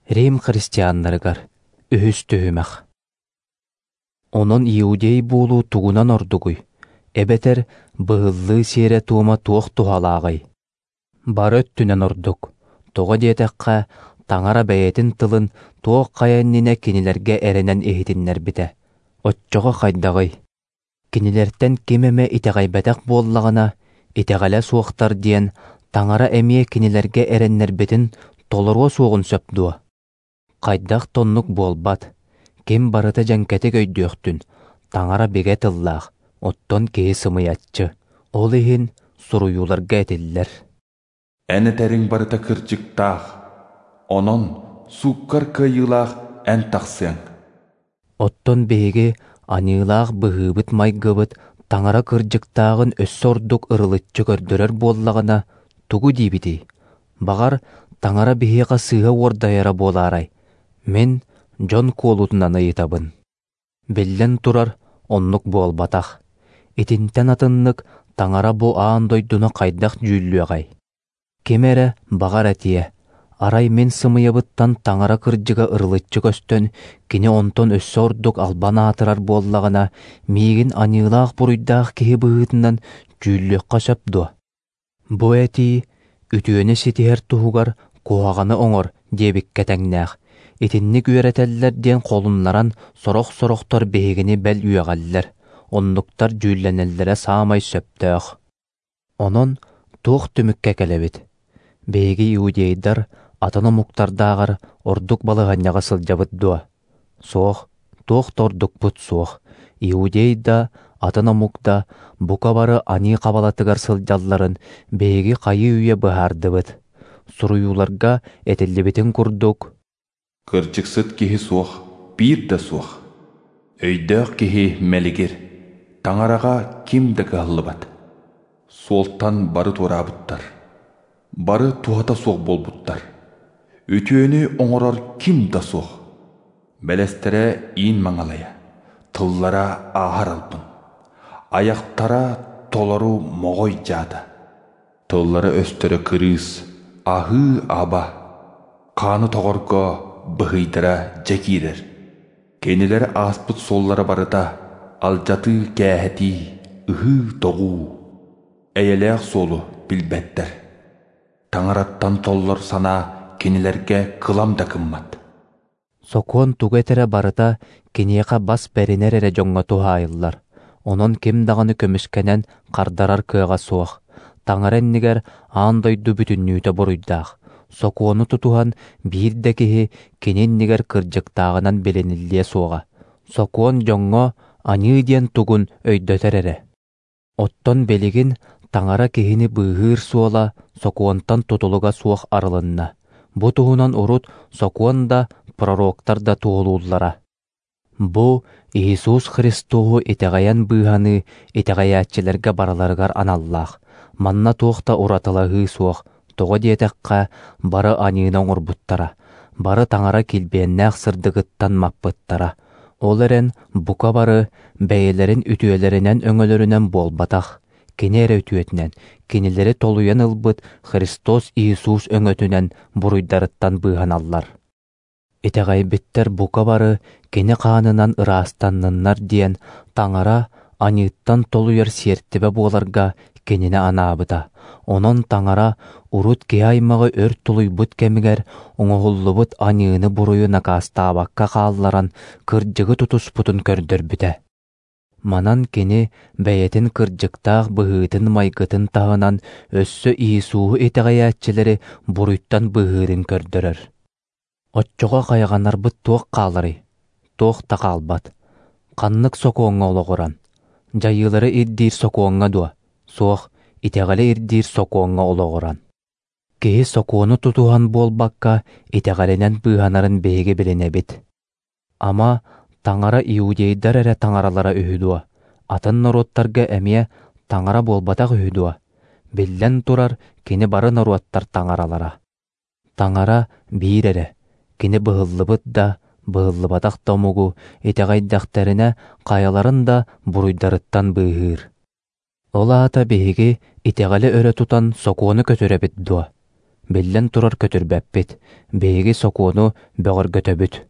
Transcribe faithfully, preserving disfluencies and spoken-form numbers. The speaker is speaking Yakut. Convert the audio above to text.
Рим христианнарыгар үһүс түһүмэх. Онон иудей буолуу тугунан ордугуй? Эбэтэр быһыллыы сиэрэ-туома туох туһалааҕый? Бары өттүнэн ордук. Тоҕо диэтэххэ, Таҥара бэйэтин тылын туох хайа иннинэ кинилэргэ эрэнэн иһитиннэрбитэ. Оччоҕо хайдаҕый? Кинилэртэн ким эмэ итэҕэйбэтэх буоллаҕына, итэҕэлэ суохтар диэн Таҥара эмиэ кинилэргэ эрэннэрбитин толоруо суоҕун сөп дуо? Хайдах да оннук буолбат. Ким барыта дьэҥкэтик өйдүөхтүн, Таҥара бигэ тыллаах, оттон киһи сымыйаччы. Ол иһин суруйууларга этиллэр. Эн этэриҥ барыта кырдьыктаах, онон сууккар кыайыылаах эн тахсыаҥ. Оттон биһиги аньыылаах быһыыбыт-майгыбыт Таҥара кырдьыктааҕын өссө ордук ырылыччы көрдөрөр буоллаҕына, тугу диибитий? Баҕар, Таҥара биһиэхэ сыыһа уордайара буолаарай? Мин дьон куолутунан ыйытабын. Биллэн турар, оннук буолбатах. Итинтэн атыннык Таҥара бу аан дойдуну хайдах дьүүллүөҕэй? Ким эрэ баҕар этиэ, арай мин сымыйабыттан Таҥара кырдьыга ырылыччы көстөн, кини онтон өссө ордук албан аатырар буоллаҕына, миигин аньыылаах буруйдаах киһи быһыытынан дьүүллүөххэ сөп дуо? Бу этии үтүөнү ситиһэр туһугар куһаҕаны оҥор диэбиккэ тэҥнээх. Итинник үөрэтэллэр диэн холуннаран сорох-сорохтор биһигини бэл үөҕэллэр, оннуктар дьүүллэнэллэрэ саамай сөптөөх. Онон туох түмүккэ кэлэбит? Биһиги иудейдар атын омуктардааҕар ордук балаһыанньаҕа сылдьабыт дуо? Суох, туох да ордукпут суох. Иудей да, атын омук да бука бары аньыы хабалатыгар сылдьалларын биһиги хайыы-үйэ быһаардыбыт. Суруйууларга этиллибитин курдук, Кырдьыксыт киһи суох, биир да суох. Өйдөөх киһи мэлигир, Таҥараҕа ким да кыһаллыбат. Суолтан бары туораабыттар, бары туһата суох буолбуттар. Үтүөнү оҥорор ким да суох. Бэлэстэрэ иин маҥалайа, тыллара ааһар албын, айахтара толору моҕой дьаата. Тыллара өстөрө кырыыс, аһыы-аба, хааны тоҕорго быһыйдара дьэ киирэр. Кинилэр ааспыт суоллара барыта алдьатыы-кээһэтии, ыһыы-тоҕуу. Эйэлээх суолу билбэттэр. Таҥараттан толлор санаа кинилэргэ кылам да кыммат. Сокуон тугу этэрэ барыта киниэхэ бас бэринэр эрэ дьоҥҥо туһаайыллар. Онон ким даҕаны көмүскэнэн хардарар кыаҕа суох. Таҥара иннигэр аан дойду бүтүннүүтэ буруйдаах. Сокуону тутуһан биир да киһи кини иннигэр кырдьыктааҕынан билиниллиэ суоҕа. Сокуон дьоҥҥо аньыы диэн тугун өйдөтөр эрэ. Оттон билигин Таҥара киһини быыһыыр суола сокуонтан тутулуга суох арылынна. Бу туһунан урут сокуон да, пророктар да туоһулууллара. Бу Иисус Христоһу итэҕэйэн быыһаныы итэҕэйээччилэргэ барыларыгар аналлаах. Манна туох да уратылаһыы суох. Тоҕо диэтэххэ, бары аньыыны оҥорбуттара, бары Таҥара килбиэннээх сырдыгыттан маппыттара. Ол эрэн бука бары бэйэлэрин үтүөлэринэн-өҥөлөрүнэн буолбатах, кини эрэ үтүөтүнэн, кинилэри толуйан ылбыт Христос Иисус өҥөтүнэн буруйдарыттан быыһаналлар. Итэҕэйбиттэр бука бары кини хаанынан ыраастанныннар диэн Таҥара аньыыттан толуйар сиэртибэ буоларга кинини анаабыта. Онон Таҥара урут киһи аймаҕы өр тулуйбут кэмигэр оҥоһуллубут аньыыны-буруйу накаастаабакка хаалларан кырдьыгы тутуспутун көрдөрбүтэ. Манан кини бэйэтин кырдьыктаах быһыытын-майгытын таһынан өссө Иисуһу итэҕэйээччилэри буруйтан быыһыырын көрдөрөр. Оччоҕо хайҕанарбыт туох хааларый? Туох да хаалбат. Ханнык сокуоҥҥа олоҕуран? Дьайыылары ирдиир сокуоҥҥа дуо? Суох, итэҕэли ирдиир сокуоҥҥа олоҕуран. Киһи сокуону тутуһан буолбакка, итэҕэлинэн быыһанарын биһиги билинэбит. Ама Таҥара иудейдар эрэ таҥаралара үһү дуо? Атын норуоттарга эмиэ таҥара буолбатах үһү дуо? Биллэн турар, кини бары норуоттар таҥаралара. Таҥара биир эрэ, кини быһыллыбыт да, быһыллыбатах да омугу итэҕэйдэхтэринэ хайаларын да буруйдарыттан быыһыыр. Ол аата биһиги итэҕэли өрө тутан сокуону көтүрэбит дуо? Биллэн турар, көтүрбэппит. Биһиги сокуону бөҕөргөтөбүт.